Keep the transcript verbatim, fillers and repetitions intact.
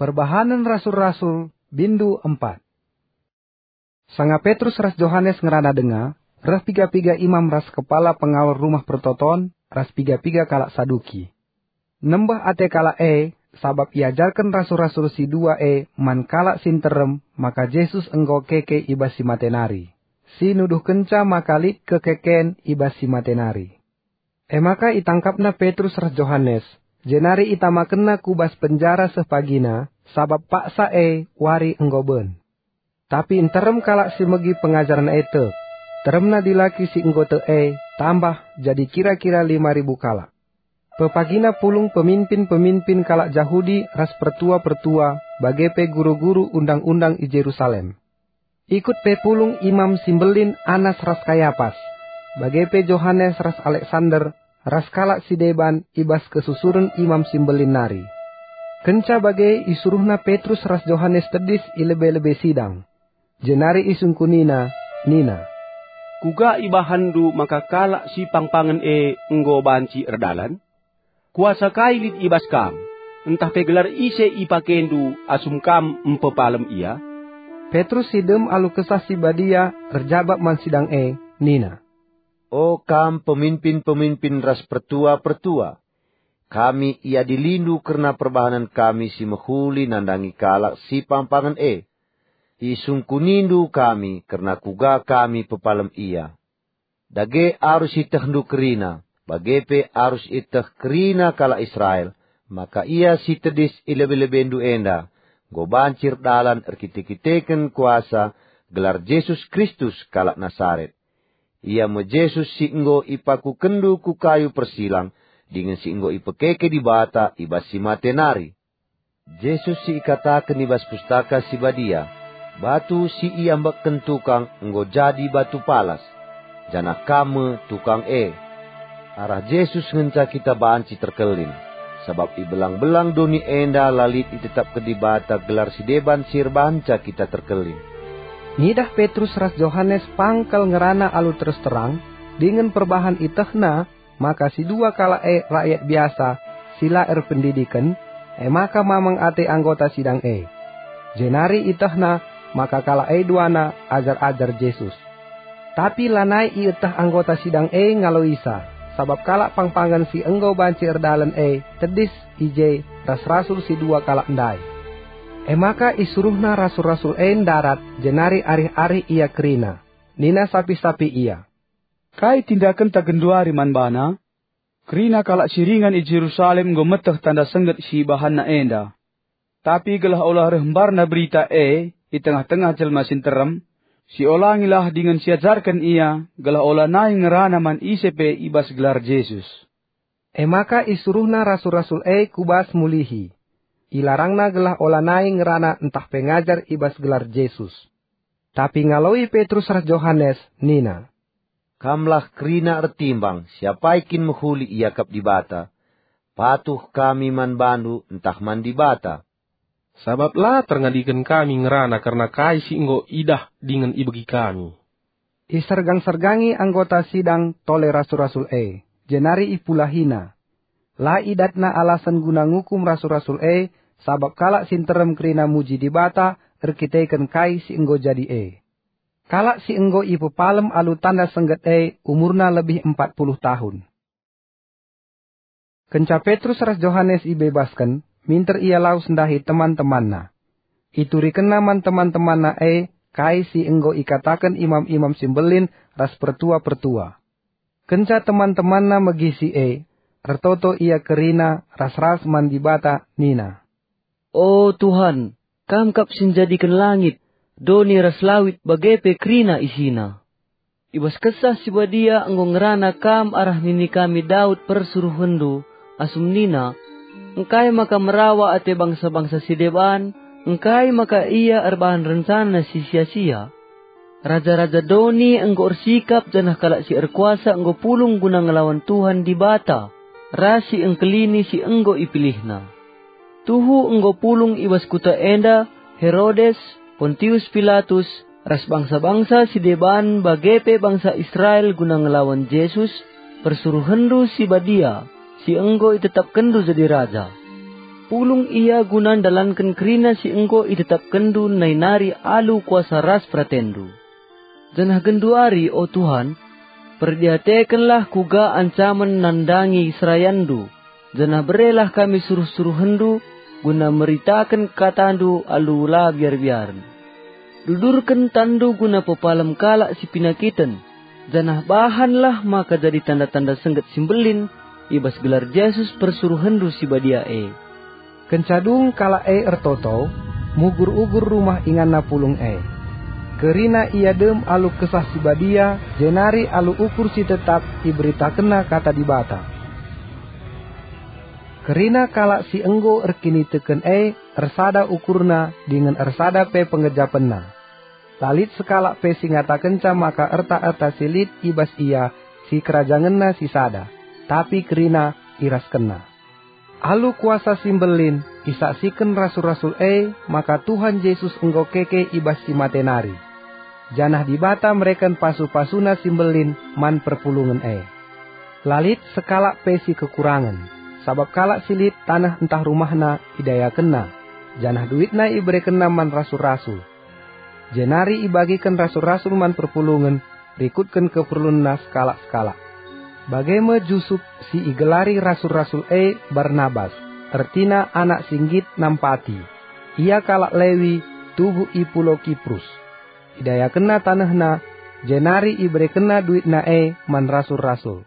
Perbahanen Rasul-Rasul, bindu empat. Sanga Petrus ras Johanes ngerana denga, reh piga-piga imam ras kepala pengawal Rumah Pertoton, ras piga-piga kalak Saduki. Nembeh ate kalak e, sabap iajarken rasul-rasul si dua e man kalak si nterem maka Jesus enggo keke i bas si mate nari, si nuduhkenca maka lit kekeken i bas si mate nari. E maka itangkapna Petrus ras Johanes, jenari itamakenna ku bas penjara seh pagina, sabap paksa e wari enggo ben. Tapi nterem kalak si megi pengajaren e tek. Teremna dilaki si enggo tek e tambah jadi kira-kira lima ribu kalak. Pepagina pulung peminpin-peminpin kalak Jahudi ras pertua-pertua, bage pe guru-guru undang-undang i Jerusalem. Ikut pe pulung Imam si Mbelin Anas ras Kayapas, bage pe Johanes ras Aleksander, ras kalak si deban i bas kesusuren Imam si Mbelin nari. Kenca bage isuruhna Petrus ras Johanes tedis i lebe-lebe sidang. Jenari isungkunina, nina, "Kuga ibahanndu maka kalak si pangpangen e enggo banci erdalan? Kuasa kai lit i bas kam, ntah pe gelar ise ipakendu asum kam mpepalem ia?" Petrus si dem alu Kesah Si Badia erjabap man sidang e, nina, "O kam peminpin-peminpin ras pertua-pertua, kami iadilindu kerna perbahanen kami si mehuli nandangi kalak si pangpangen e. Isungkunindu kami kerna kuga kami pepalem ia. Dage arus ietehndu kerina, bage pe arus ieteh kerina kalak Israel, maka ia si tedis i lebe-lebendu enda enggo banci erdalan erkite-kiteken kuasa gelar Jesus Kristus kalak Nasaret. Ia me Jesus si enggo ipakukenndu ku kayu persilang dingen si enggo ipekeke Dibata i bas si mate nari. Jesus si ikataken i bas Pustaka Si Badia, 'Batu si iambekken tukang enggo jadi batu palas, janah kam me tukang e.' Arah Jesus ngenca kita banci terkelin, sabap i belang-belang doni enda la lit itetapken Dibata gelar si deban si erbahanca kita terkelin." Ngidah Petrus ras Johanes pang kal ngerana alu terus terang, dingen perbahan ietehna maka si dua kalak e rakyat biasa si la erpendidiken, e maka mamang ate anggota sidang e. Jenari ietehna maka kalak e duana ajar-ajar Jesus. Tapi lanai ieteh anggota sidang e ngaloisa, sabap kalak pangpangen si enggo banci erdalan e tedis i je ras rasul si dua kalak ndai. E maka isuruhna rasul-rasul e ndarat, jenari arih-arih ia kerina. Nina sapih-sapih ia, "Kai tindakenta genduari man bana? Kerina kalak si ringan i Jerusalem enggo meteh tanda sengget si ibahanna enda. Tapi gelah ola reh mbarna berita e i tengah-tengah jelma si nterem, siolangilah dingen siajarken ia, gelah olanai ngerana man ise pe i bas gelar Jesus." E maka isuruhna rasul-rasul e ku bas mulihi. Ilarangna gelah olanai ngerana ntah pe ngajar i bas gelar Jesus. Tapi ngaloi Petrus ras Johanes nina, "Kamlah kerina ertimbang siapai kin mehuli iakap Dibata, patuh kami man bandu ntah man Dibata. Sabap la terngadiken kami ngerana kerna kai si enggo idah dingen ibegi kami." Isergang-sergangi anggota sidang tole rasul-rasul e, jenari ipulahina. La idatna alasen guna ngukum rasul-rasul e, sabap kalak si nterem kerina muji Dibata erkiteken kai si enggo jadi e. Kalak si enggo ipepalem alu tanda sengget e umurna lebih empat puluh tahun. Kenca Petrus ras Johanes ibebasken, minter ia lawes ndahi teman-temanna. Iturikenna man teman-temanna e kai si enggo ikataken imam-imam si mbelin ras pertua-pertua. Kenca teman-temanna megi si e, ertoto ia kerina ras-ras man Dibata nina, "O Tuhan, Kam kap si njadiken langit, doni ras lawit bage pe kerina isina. I bas Kesah Si Badia enggo ngerana Kam arah nini kami Daud persuruhenNdu, asum nina, 'Engkai maka merawa ate bangsa-bangsa si deban? Engkai maka ia erbahan rencana si sia-sia?' Raja-raja doni enggo ersikap, janah kalak si erkuasa enggo pulung guna ngelawan Tuhan Dibata ras si engkelini si enggo ipilihNa. Tuhu enggo pulung i bas kuta enda Herodes, Pontius Pilatus, ras bangsa-bangsa si deban bage pe bangsa Israel guna ngelawan Jesus, persuruhenNdu si Badia, si enggo itetapkenNdu jadi raja." Pulung ia guna ndalanken kerina si enggo itetapkenndu nai nari alu kuasa ras peratendu. Janah genduari, o Tuhan, perdiatekenlah kuga ancamen nandangi serayanndu, janah berelah kami suruh-suruhenndu guna meritaken katandu alu la biar-biaren. Dudurken tanndu guna pepalem kalak si pinakiten, janah bahanlah maka jadi tanda-tanda sengget si mbelin i bas gelar Jesus persuruhenndu si badia e. Kenca dung kalak e ertoto, mugur-ugur rumah inganna pulung e. Kerina ia dem alu Kesah Si Badia, jenari alu ukur si tetap iberitakenna Kata Dibata. Kerina kalak si enggo erkiniteken e ersada ukurna dingen ersada pe penggejapenna. La lit sekalak pe si ngatakenca maka erta-erta si lit i bas ia si kerajangenna si sada, tapi kerina iraskenna. Alu kuasa si mbelin isaksiken rasul-rasul e maka Tuhan Jesus enggo keke i bas si mate nari, janah Dibata mereken pasu-pasuNa si mbelin man perpulungen e. La lit sekalak pe si kekurangen, sabap kalak si lit taneh ntah rumahna idayakenna, janah duitna iberekenna man rasul-rasul. Jenari ibagiken rasul-rasul man perpulungen rikutken keperlunna sekalak-sekalak. Bage me Jusup si igelari rasul-rasul e Barnabas, ertina anak si nggit nampati. Ia kalak Lewi, tubuh i pulau Kiprus. Idayakenna tanehna, jenari iberekenna duitna e man rasul-rasul.